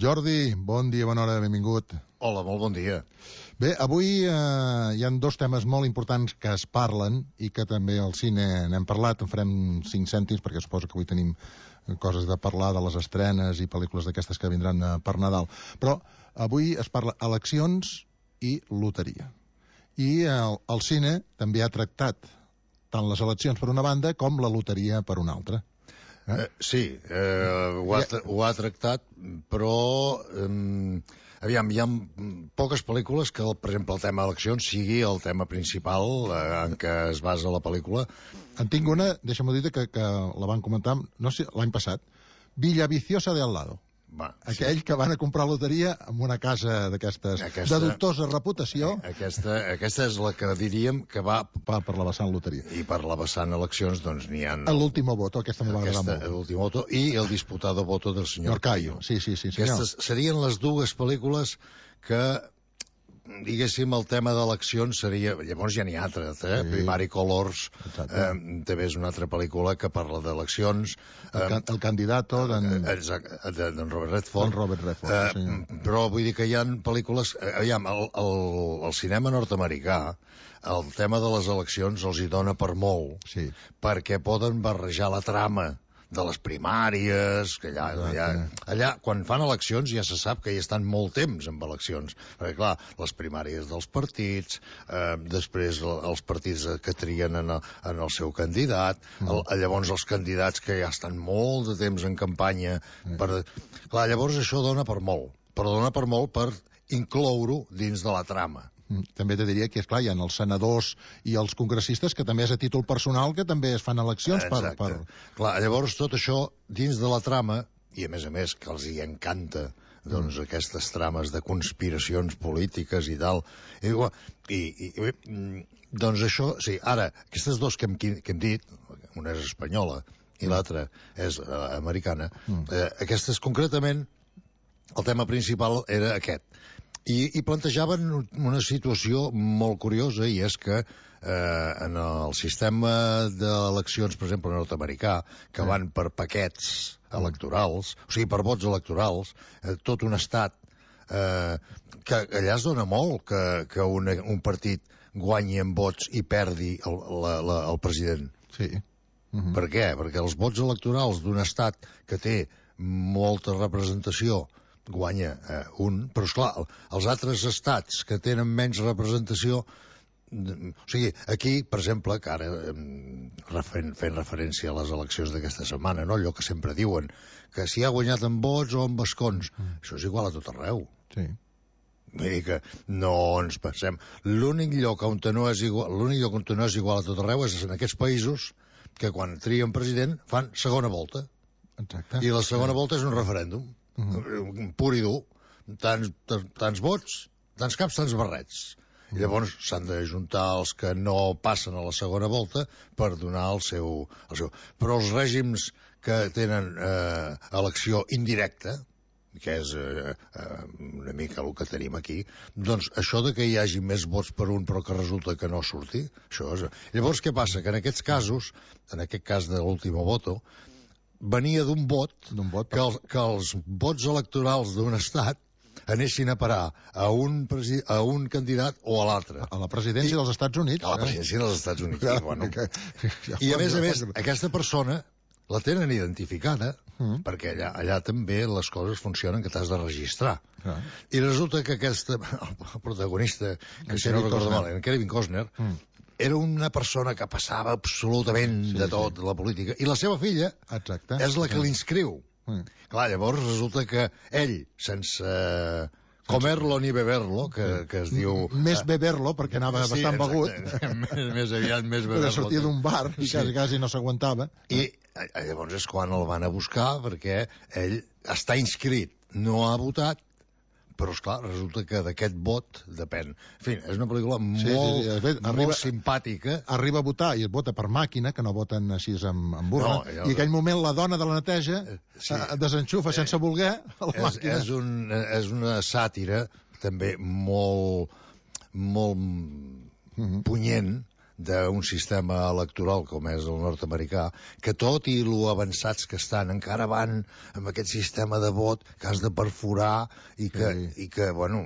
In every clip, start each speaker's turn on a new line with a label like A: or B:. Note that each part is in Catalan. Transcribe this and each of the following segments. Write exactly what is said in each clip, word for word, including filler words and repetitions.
A: Jordi, bon dia, bona hora, benvingut.
B: Hola, molt bon dia.
A: Bé, avui eh, hi ha dos temes molt importants que es parlen i que també al cine n'hem parlat, en farem cinc cèntims perquè suposo que avui tenim coses de parlar de les estrenes i pel·lícules d'aquestes que vindran eh, per Nadal. Però avui es parla eleccions i loteria. I el, el cine també ha tractat tant les eleccions per una banda com la loteria per una altra.
B: Eh? Eh, sí, eh, ho, ha, ho ha tractat, però eh, aviam, hi ha poques pel·lícules que, el, per exemple, el tema eleccions sigui el tema principal eh, en què es basa la pel·lícula.
A: En tinc una, deixa'm dir que, que la van comentar, no sé, l'any passat, Villaviciosa de al lado.
B: Va,
A: aquell sí. que van a comprar loteria en una casa d'aquestes de dubtosa reputació.
B: Aquesta, aquesta és la que diríem que va
A: per, per la vessant loteria.
B: I per la vessant eleccions, doncs n'hi ha...
A: L'último voto, aquesta m'ho va agradar molt.
B: L'último voto i el disputado voto del senyor
A: Cayo. Sí, sí, sí, senyor.
B: Aquestes serien les dues pel·lícules que, diguéssim, el tema d'eleccions seria... Llavors ja n'hi ha altres, eh? Sí. Primary Colors, eh, també és una altra pel·lícula que parla d'eleccions.
A: El, can, el candidato d'en...
B: d'en Robert Redford.
A: Robert Redford,
B: eh,
A: sí.
B: Però vull dir que hi ha pel·lícules... Eh, aviam, el, el, el cinema nord-americà, el tema de les eleccions els hi dona per molt,
A: sí.
B: perquè poden barrejar la trama de les primàries, que allà, allà, allà, quan fan eleccions ja se sap que hi estan molt temps amb eleccions, perquè clar, les primàries dels partits, eh, després els partits que trien en el, en el seu candidat, el, llavors els candidats que ja estan molt de temps en campanya, per, clar, llavors això dona per molt, però dona per molt per incloure-ho dins de la trama.
A: També te diria que, esclar, hi ha els senadors i els congressistes que també és a títol personal que també es fan eleccions per, per...
B: Clar, llavors tot això dins de la trama, i a més a més que els hi encanta doncs mm. aquestes trames de conspiracions polítiques i tal, i, i, i doncs això, sí, ara, aquestes dos que hem, que hem dit, una és espanyola i l'altra és uh, americana, mm. eh, aquestes concretament, el tema principal era aquest. I, i plantejaven una situació molt curiosa, i és que eh, en el sistema d'eleccions, per exemple, nord-americà, que van per paquets electorals, o sigui, per vots electorals, eh, tot un estat, eh, que allà es dona molt que, que una, un partit guanyi en vots i perdi el, la, la, el president.
A: Sí. Uh-huh.
B: Per què? Perquè els vots electorals d'un estat que té molta representació guanya eh, un, però esclar, els altres estats que tenen menys representació, o sigui, aquí, per exemple, que ara fent, fent referència a les eleccions d'aquesta setmana, no? Allò que sempre diuen, que si ha guanyat en vots o en escons, mm. això és igual a tot arreu.
A: Sí.
B: Vull dir que no ens pensem. L'únic lloc on no és igual, l'únic lloc on no és igual a tot arreu és en aquests països que quan trien president fan segona volta.
A: Exacte.
B: I la segona volta és un referèndum. Uh-huh. Pur i dur, tants, tants vots, tants caps, tants barrets. I llavors s'han de juntar els que no passen a la segona volta per donar el seu... El seu. Però els règims que tenen eh, elecció indirecta, que és eh, eh, una mica el que tenim aquí, doncs això de que hi hagi més vots per un però que resulta que no surti, això és... Llavors què passa? Que en aquests casos, en aquest cas de l'último voto, venia d'un vot,
A: vot
B: que, els, que els vots electorals d'un estat anessin a parar a un, a un candidat o a l'altre.
A: A la presidència I, dels Estats Units.
B: A la presidència eh? dels Estats Units. Ja, bueno. que, ja I a més a més, aquesta persona la tenen identificada, mm. perquè allà, allà també les coses funcionen que t'has de registrar. Ah. I resulta que aquesta, el protagonista, que si no recordo mal, en Kevin Costner, mm. era una persona que passava absolutament sí, de tot, sí. la política. I la seva filla
A: Exacte.
B: és la que sí. l'inscriu. Mm. Clar, llavors resulta que ell, sense comer-lo ni beber-lo, que, que es diu...
A: Més beber-lo, perquè anava sí, bastant begut.
B: més, més aviat, més beber-lo.
A: Perquè sortia d'un bar i sí. quasi, quasi no s'aguantava.
B: I llavors és quan el van a buscar, perquè ell està inscrit, no ha votat, però, esclar, resulta que d'aquest vot depèn. En fi, és una pel·lícula sí, molt, sí, sí. Fet, arriba, molt simpàtica.
A: Arriba a votar i es vota per màquina, que no voten així amb, amb burra, no, ja... i en aquell moment la dona de la neteja sí. desenxufa eh, sense voler a la
B: és,
A: màquina.
B: És, un, és una sàtira també molt, molt mm-hmm. punyent d'un sistema electoral com és el nord-americà, que tot i lo avançats que estan, encara van amb aquest sistema de vot que has de perforar i que, sí. i que bueno,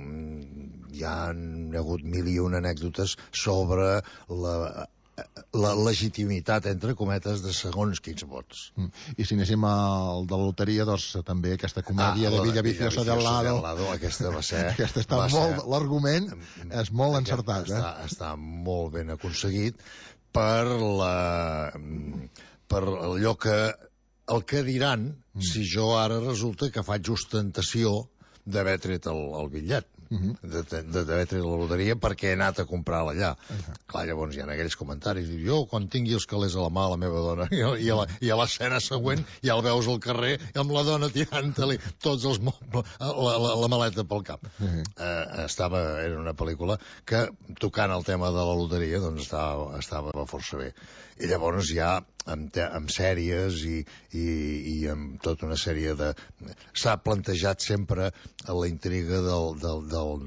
B: hi ha hagut mil i una anècdotes sobre la la legitimitat, entre cometes, de segons quins vots.
A: Mm. I si anéssim al de la loteria, doncs també aquesta comèdia ah, de Villa Viciosa del Lado.
B: Lado, aquesta va ser...
A: aquesta està molt... L'argument és molt encertat.
B: Està,
A: eh?
B: està molt ben aconseguit per la... per allò que... el que diran mm. si jo ara resulta que faig ostentació d'haver tret el, el bitllet. Uh -huh. d'haver tret la loteria perquè he anat a comprar-la allà. Uh -huh. Clar, llavors hi ha aquells comentaris, diu, jo quan tingui els calés a la mà la meva dona, i, i, a, la, i a l'escena següent ja el veus al carrer amb la dona tirant-li tots els mobles, la, la, la maleta pel cap. Uh -huh. uh, estava, era una pel·lícula que, tocant el tema de la loteria, doncs estava, estava força bé. I llavors ja amb, te, amb sèries i, i, i amb tota una sèrie de... s'ha plantejat sempre la intriga del, del, del,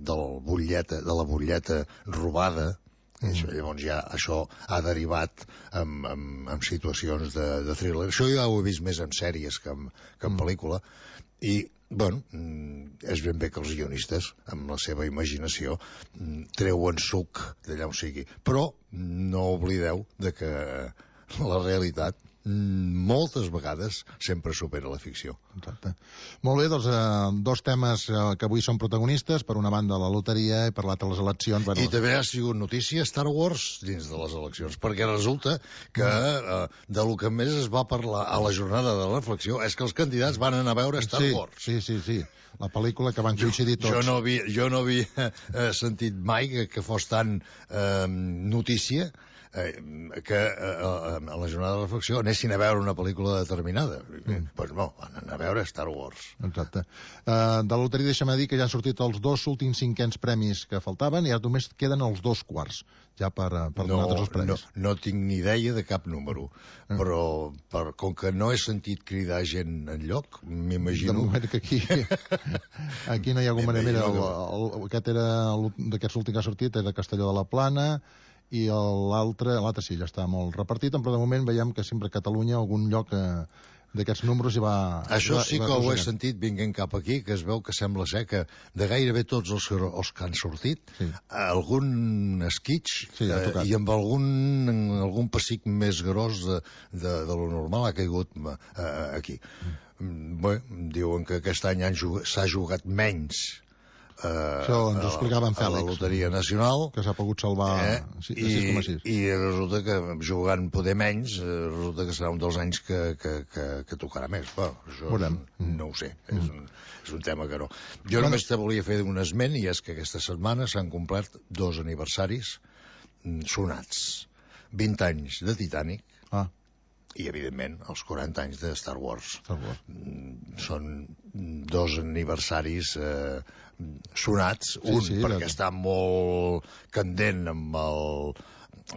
B: del butlleta, de la butlleta robada. Mm. Això, llavors ja això ha derivat en, en, en situacions de, de thriller. Això ja ho he vist més en sèries que en, que en mm. pel·lícula. I, bueno, és ben bé que els guionistes, amb la seva imaginació, treuen suc d'allà on sigui. Però no oblideu de que la realitat moltes vegades sempre supera la ficció.
A: Exacte. Molt bé, doncs eh, dos temes eh, que avui són protagonistes, per una banda la loteria i per l'altra les eleccions.
B: Bueno, I també ha sigut notícia Star Wars dins de les eleccions, perquè resulta que eh, de lo que més es va parlar a la jornada de reflexió és que els candidats van anar a veure Star
A: sí,
B: Wars.
A: Sí, sí, sí. La pel·lícula que van coincidir tots.
B: Jo no havia, jo no havia eh, sentit mai que, que fos tan eh, notícia Eh, que eh, a la jornada de reflexió anessin a veure una pel·lícula determinada. Doncs mm. pues no, van anar a veure Star Wars.
A: Exacte. Uh, de la loteria deixa'm dir que ja han sortit els dos últims cinquens premis que faltaven i ara només queden els dos quarts ja per, per
B: no,
A: donar tots els premis.
B: No, no tinc ni idea de cap número, mm. però per, com que no he sentit cridar gent enlloc, m'imagino...
A: De moment que aquí aquí no hi ha alguna manera. El, el, aquest era d'aquests últims que ha sortit, era Castelló de la Plana, i l'altre, l'altre sí, ja està molt repartit, però de moment veiem que sempre a Catalunya algun lloc eh, d'aquests números hi va...
B: Això
A: va,
B: sí que ho he sentit vinguent cap aquí, que es veu que sembla ser que de gairebé tots els, els que han sortit, sí. algun esquitx sí, eh, i amb algun, algun pessic més gros de, de, de lo normal ha caigut eh, aquí. Mm. Bé, diuen que aquest any s'ha jugat menys Uh,
A: Això ens ho explicava en Fèlix,
B: a la Loteria Nacional,
A: que s'ha pogut salvar
B: eh?
A: sis
B: coma
A: sis.
B: I, i resulta que jugant poder menys resulta que serà un dels anys que, que, que, que tocarà més. Bueno, això
A: Veurem.
B: no ho sé, mm. és, un, és un tema que no. Jo bueno, només te volia fer un esment, i és que aquesta setmana s'han complert dos aniversaris sonats. vint anys de Titanic ah. i, evidentment, els quaranta anys de Star Wars.
A: Star Wars.
B: Són dos aniversaris eh, sonats, sí, un sí, perquè està molt candent amb el,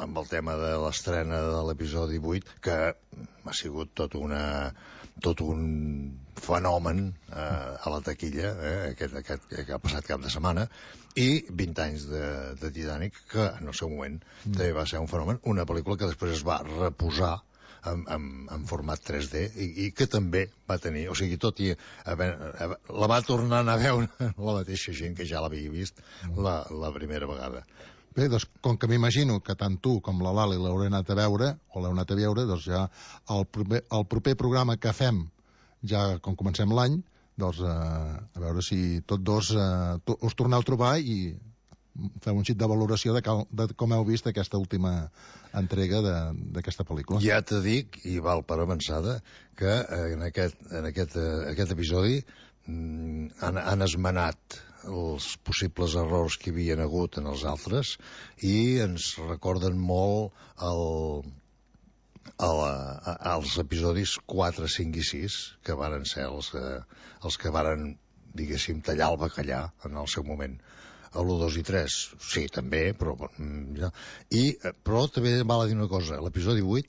B: amb el tema de l'estrena de l'episodi vuit, que ha sigut tot una tot un fenomen eh, a la taquilla, eh, aquest, aquest que ha passat cap de setmana, i vint anys de, de Titanic, que en el seu moment mm. també va ser un fenomen, una pel·lícula que després es va reposar En, en, en format tres D i, i que també va tenir, o sigui, tot i haver, haver, la va tornar a veure la mateixa gent que ja l'havia vist la, la primera vegada.
A: Bé, doncs, com que m'imagino que tant tu com la Lali l'haureu anat a veure, o l'heu anat a veure, doncs ja el proper, el proper programa que fem, ja com comencem l'any, doncs eh, a veure si tots dos eh, to, us torneu a trobar i feu un xit de valoració de, cal, de com heu vist aquesta última entrega d'aquesta pel·lícula.
B: Ja te dic, i val per avançada, que en aquest, en aquest, aquest episodi mm, han, han esmenat els possibles errors que hi havia hagut en els altres i ens recorden molt el, el, els episodis quatre, cinc i sis, que varen ser els, els que varen, diguéssim, tallar el bacallà en el seu moment. A l'u, dos i tres, sí, també, però... I, però també val a dir una cosa, l'episodi vuit,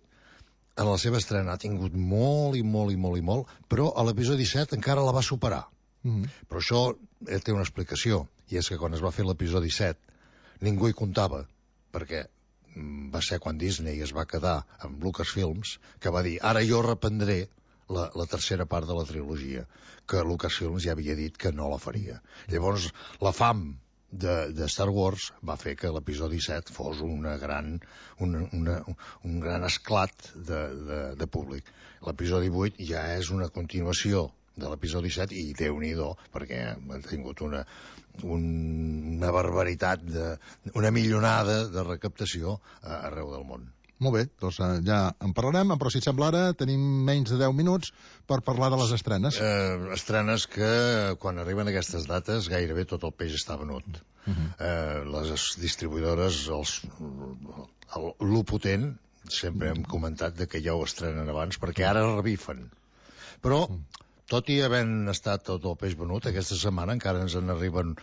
B: en la seva estrena ha tingut molt i molt i molt i molt, però a l'episodi set encara la va superar. Mm-hmm. Però això té una explicació, i és que quan es va fer l'episodi set, ningú hi comptava, perquè va ser quan Disney es va quedar amb Lucasfilms, que va dir, ara jo reprendré la, la tercera part de la trilogia, que Lucasfilms ja havia dit que no la faria. Llavors, la fam de, de Star Wars va fer que l'episodi set fos una gran, una, una, un gran esclat de, de, de públic. L'episodi vuit ja és una continuació de l'episodi set i Déu-n'hi-do, perquè ha tingut una, un, una barbaritat, de, una millonada de recaptació arreu del món.
A: Molt bé, doncs ja en parlarem, però si et sembla ara tenim menys de deu minuts per parlar de les estrenes.
B: Eh, estrenes que quan arriben aquestes dates gairebé tot el peix està venut. Uh -huh. eh, les distribuïdores, els, el, el potent, sempre hem comentat de que ja ho estrenen abans, perquè ara revifen. Però, tot i havent estat tot el peix venut, aquesta setmana encara ens en arriben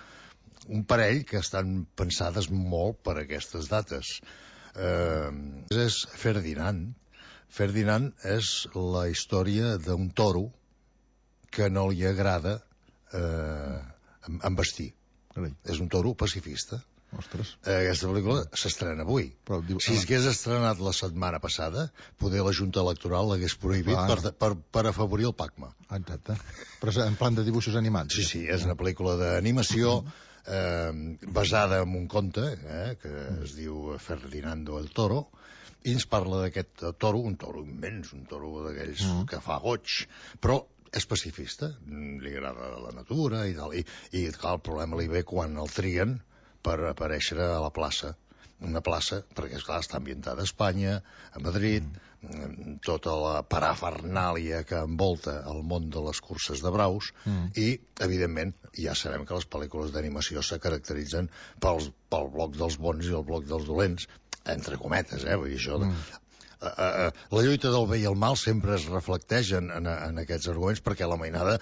B: un parell que estan pensades molt per aquestes dates. Eh, és Ferdinand. Ferdinand és la història d'un toro que no li agrada eh, embestir.
A: Carai.
B: És un toro pacifista.
A: Ostres.
B: Aquesta pel·lícula s'estrena avui. Però, diu, si s'hagués estrenat la setmana passada, poder la Junta Electoral l'hagués prohibit ah, per, per, per afavorir el Pacma.
A: Exacte. Però en plan de dibuixos animats.
B: Sí, sí, és una pel·lícula d'animació eh, basada en un conte eh, que es diu Ferdinando el Toro, i ens parla d'aquest toro, un toro immens, un toro d'aquells mm. que fa goig, però és pacifista, li agrada la natura i tal, i, i clar, el problema li ve quan el trien per aparèixer a la plaça, una plaça, perquè esclar, està ambientada a Espanya, a Madrid, mm. tota la parafernàlia que envolta el món de les curses de braus, mm. i, evidentment, ja sabem que les pel·lícules d'animació se caracteritzen pels, pel bloc dels bons i el bloc dels dolents, entre cometes, eh? Vull dir, això... Mm. Uh, uh, la lluita del bé i el mal sempre es reflecteix en, en, en aquests arguments, perquè la mainada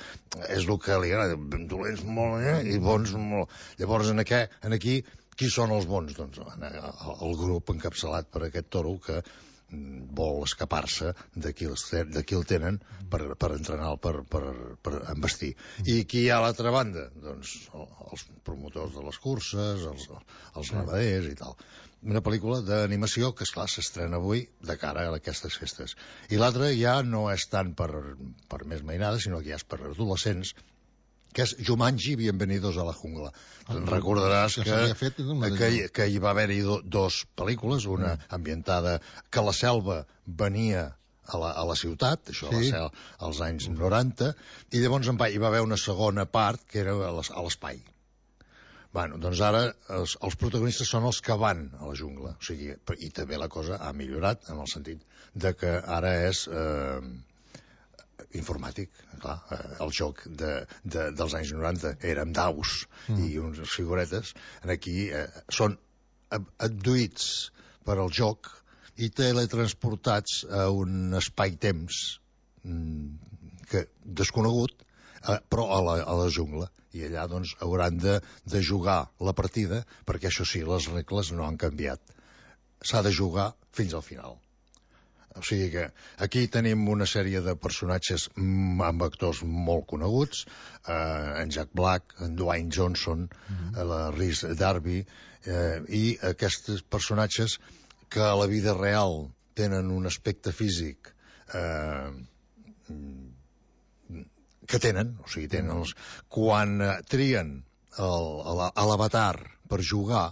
B: és el que li agrada, dolents molt eh? i bons molt. Llavors, en, aqu en aquí, qui són els bons? Doncs el grup encapçalat per aquest toro que vol escapar-se de qui, de qui el tenen per, per entrenar, per, per, per embestir. I qui hi ha a l'altra banda? Doncs els promotors de les curses, els, els ramaders i tal. Una pel·lícula d'animació que, esclar, s'estrena avui de cara a aquestes festes. I l'altra ja no és tant per, per més mainada, sinó que ja és per adolescents, que és Jumanji, Bienvenidos a la Jungla. Ah, recordaràs que, que, que, que hi va haver-hi do, dos pel·lícules, una mm. ambientada que la selva venia a la, a la ciutat, això sí. va ser als anys noranta, i llavors hi va haver una segona part que era a l'espai. Bueno, doncs ara els, els protagonistes són els que van a la jungla, o sigui, i també la cosa ha millorat en el sentit de que ara és eh, informàtic, clar, eh, el joc de, de, dels anys noranta era amb daus mm. i unes figuretes, aquí eh, són abduïts per al joc i teletransportats a un espai-temps mm, que desconegut, eh, però a la, a la jungla. I allà doncs hauran de, de jugar la partida, perquè això sí, les regles no han canviat. S'ha de jugar fins al final. O sigui que aquí tenim una sèrie de personatges amb actors molt coneguts, eh, en Jack Black, en Dwayne Johnson, mm-hmm. la Rhys Darby, eh, i aquests personatges que a la vida real tenen un aspecte físic eh, que tenen, o sigui, tenen els... quan eh, trien l'avatar per jugar,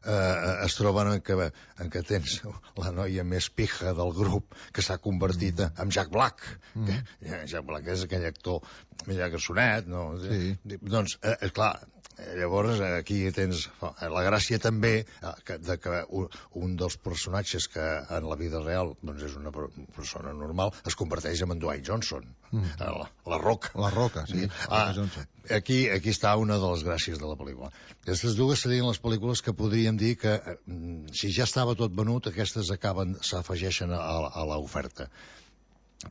B: eh, es troben en que, en que tens la noia més pija del grup que s'ha convertit mm. en Jack Black. Mm. Que, Jack Black és aquell actor ja garçonet, no? Sí. Doncs, eh, clar, llavors aquí tens la gràcia també que, de que un dels personatges que en la vida real doncs és una persona normal es converteix en Dwayne Johnson, mm. la, la Roca.
A: La Roca, sí.
B: Ah, aquí, aquí està una de les gràcies de la pel·lícula. Aquestes dues serien les pel·lícules que podríem dir que si ja estava tot venut, aquestes acaben, s'afegeixen a, a l'oferta.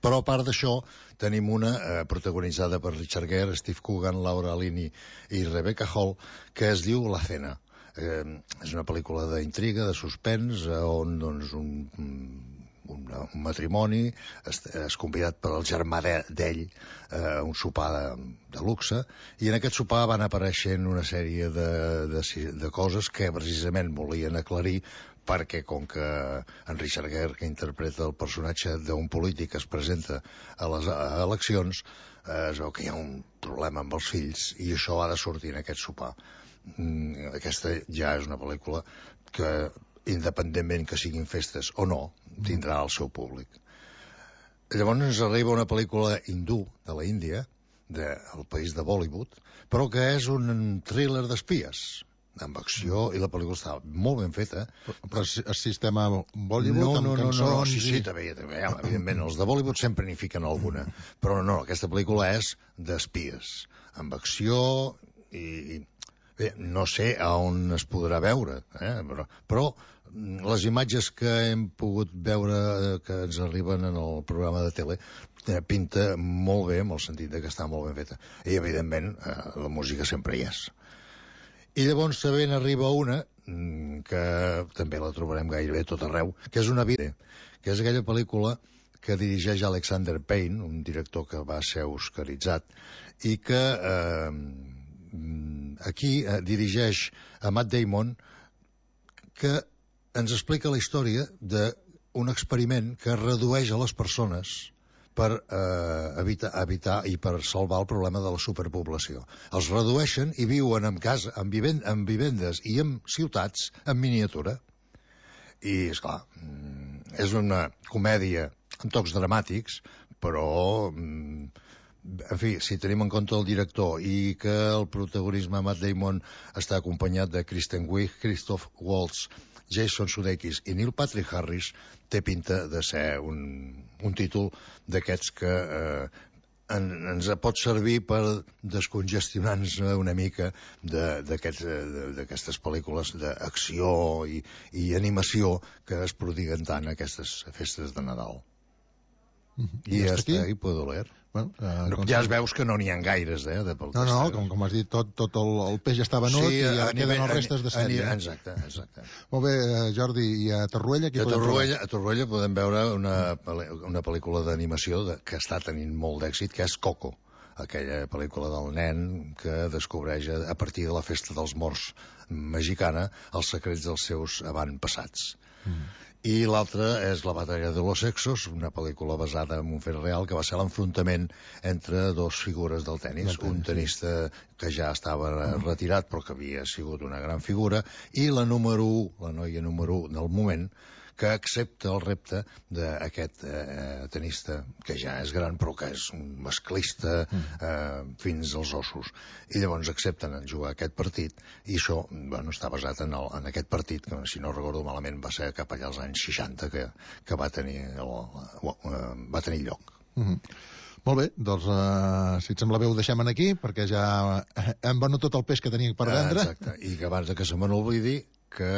B: Però a part d'això tenim una eh, protagonitzada per Richard Gere, Steve Coogan, Laura Linney i Rebecca Hall, que es diu La Cena. Eh, és una pel·lícula d'intriga, de suspens, eh, on doncs, un, un, un matrimoni és, és convidat per el germà d'ell a eh, un sopar de, de luxe, i en aquest sopar van apareixent una sèrie de, de, de coses que precisament volien aclarir perquè com que en Richard Gere, que interpreta el personatge d'un polític que es presenta a les eleccions, eh, es veu que hi ha un problema amb els fills i això ha de sortir en aquest sopar. Mm, aquesta ja és una pel·lícula que, independentment que siguin festes o no, tindrà el seu públic. Llavors ens arriba una pel·lícula hindú de la Índia, del país de Bollywood, però que és un thriller d'espies, amb acció, i la pel·lícula està molt ben feta.
A: Però el sistema Bollywood,
B: no,
A: amb
B: no, no,
A: cançons...
B: No, no, sí, sí, també, també, ja, evidentment, els de Bollywood sempre n'hi fiquen alguna, però no, aquesta pel·lícula és d'espies, amb acció i... Bé, no sé a on es podrà veure, eh? però, però les imatges que hem pogut veure que ens arriben en el programa de tele eh, pinta molt bé, en el sentit de que està molt ben feta. I, evidentment, eh, la música sempre hi és. I llavors també n'arriba una, que també la trobarem gairebé tot arreu, que és Una vida, que és aquella pel·lícula que dirigeix Alexander Payne, un director que va ser oscaritzat, i que... Eh, aquí eh, dirigeix a Matt Damon, que ens explica la història d'un experiment que redueix a les persones per eh, evitar, evitar i per salvar el problema de la superpoblació. Els redueixen i viuen en casa, en, vivend, en vivendes i en ciutats en miniatura. I, esclar, és una comèdia amb tocs dramàtics, però... En fi, si tenim en compte el director i que el protagonisme Matt Damon està acompanyat de Kristen Wiig, Christoph Waltz, Jason Sudeikis i Neil Patrick Harris, té pinta de ser un, un títol d'aquests que eh, en, ens pot servir per descongestionar-nos una mica d'aquestes pel·lícules d'acció i, i animació que es prodiguen tant aquestes festes de Nadal.
A: Mm-hmm.
B: I ja està, i puedo leer.
A: Bueno, eh,
B: no, ja es veus que no n'hi ha gaires, eh? De
A: no, no, com, com has dit, tot, tot el, el peix està venut sí, i ja queden nivell, els restes de sèrie.
B: A, exacte, exacte.
A: Molt bé, Jordi, i a Torroella?
B: A Torroella, a Torroella podem veure una, una pel·lícula d'animació que està tenint molt d'èxit, que és Coco, aquella pel·lícula del nen que descobreix a partir de la festa dels morts mexicana els secrets dels seus avantpassats. Mm. I l'altra és La batalla de los sexos, una pel·lícula basada en un fet real que va ser l'enfrontament entre dos figures del tennis, un tenista que ja estava retirat però que havia sigut una gran figura, i la número u, la noia número u del moment, que accepta el repte d'aquest eh, tenista, que ja és gran però que és un masclista eh, fins als ossos. I llavors accepten jugar aquest partit, i això bueno, està basat en, el, en aquest partit, que si no recordo malament va ser cap allà als anys seixanta que, que va, tenir el, eh, va tenir lloc.
A: Mm-hmm. Molt bé, doncs uh, si et sembla bé ho deixem aquí, perquè ja hem venut tot el peix que teníem per vendre.
B: Ah, exacte, i que abans de que se me n'oblidi que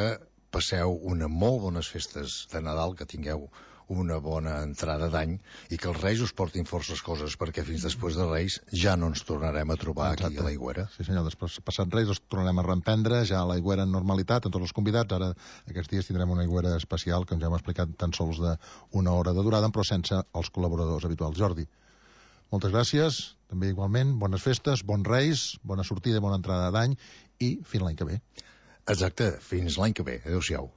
B: passeu una molt bones festes de Nadal, que tingueu una bona entrada d'any i que els Reis us portin forces coses, perquè fins després de Reis ja no ens tornarem a trobar Exacte. Aquí a l'Aigüera.
A: Sí senyor, després passat Reis els tornarem a reemprendre ja a l'Aigüera en normalitat, amb tots els convidats. Ara aquests dies tindrem una Aigüera especial que ja hem explicat tan sols d'una hora de durada, però sense els col·laboradors habituals. Jordi, moltes gràcies, també igualment, bones festes, bons Reis, bona sortida i bona entrada d'any i fins l'any que ve.
B: Exacte, fins l'any que ve. Adéu-siau.